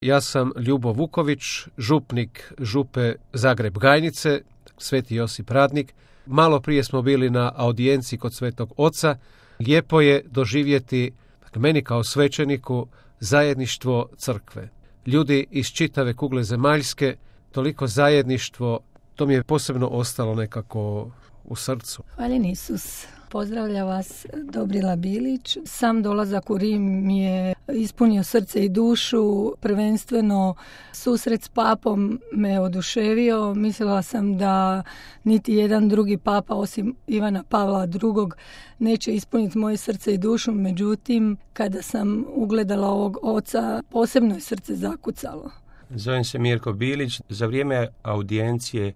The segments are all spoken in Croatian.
Ja sam Ljubo Vuković, župnik župe Zagreb-Gajnice, Sveti Josip Radnik. Malo prije smo bili na audijenciji kod Svetog Oca. Lijepo je doživjeti, meni kao svećeniku, zajedništvo crkve. Ljudi iz čitave kugle zemaljske, toliko zajedništvo, to mi je posebno ostalo nekako u srcu. Hvaljen Isus. Pozdravlja vas Dobrila Bilić. Sam dolazak u Rim mi je ispunio srce i dušu. Prvenstveno susret s papom me oduševio. Mislila sam da niti jedan drugi papa osim Ivana Pavla II. Neće ispuniti moje srce i dušu. Međutim, kada sam ugledala ovog oca, posebno je srce zakucalo. Zovem se Mirko Bilić. Za vrijeme audijencije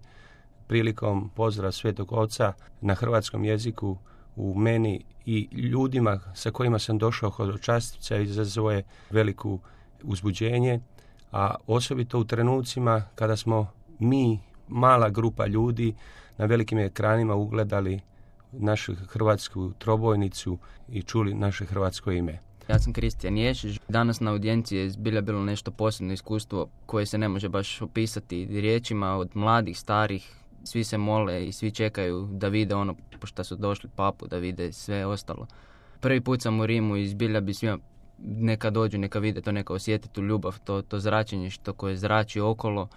prilikom pozdrava Svetog Oca na hrvatskom jeziku u meni i ljudima sa kojima sam došao hodočastica izazvao je veliko uzbuđenje, a osobito u trenucima kada smo mi, mala grupa ljudi, na velikim ekranima ugledali našu hrvatsku trobojnicu i čuli naše hrvatsko ime. Ja sam Kristijan Ješić. Danas na audijenciji je zbilja bilo nešto posebno iskustvo koje se ne može baš opisati riječima. Od mladih, starih, svi se mole i svi čekaju da vide ono pošto su došli papu, da vide sve ostalo. Prvi put sam u Rimu i zbilja bi svima neka dođu, neka vide to, neka osjeti tu ljubav, to zračenje što koje zrači okolo.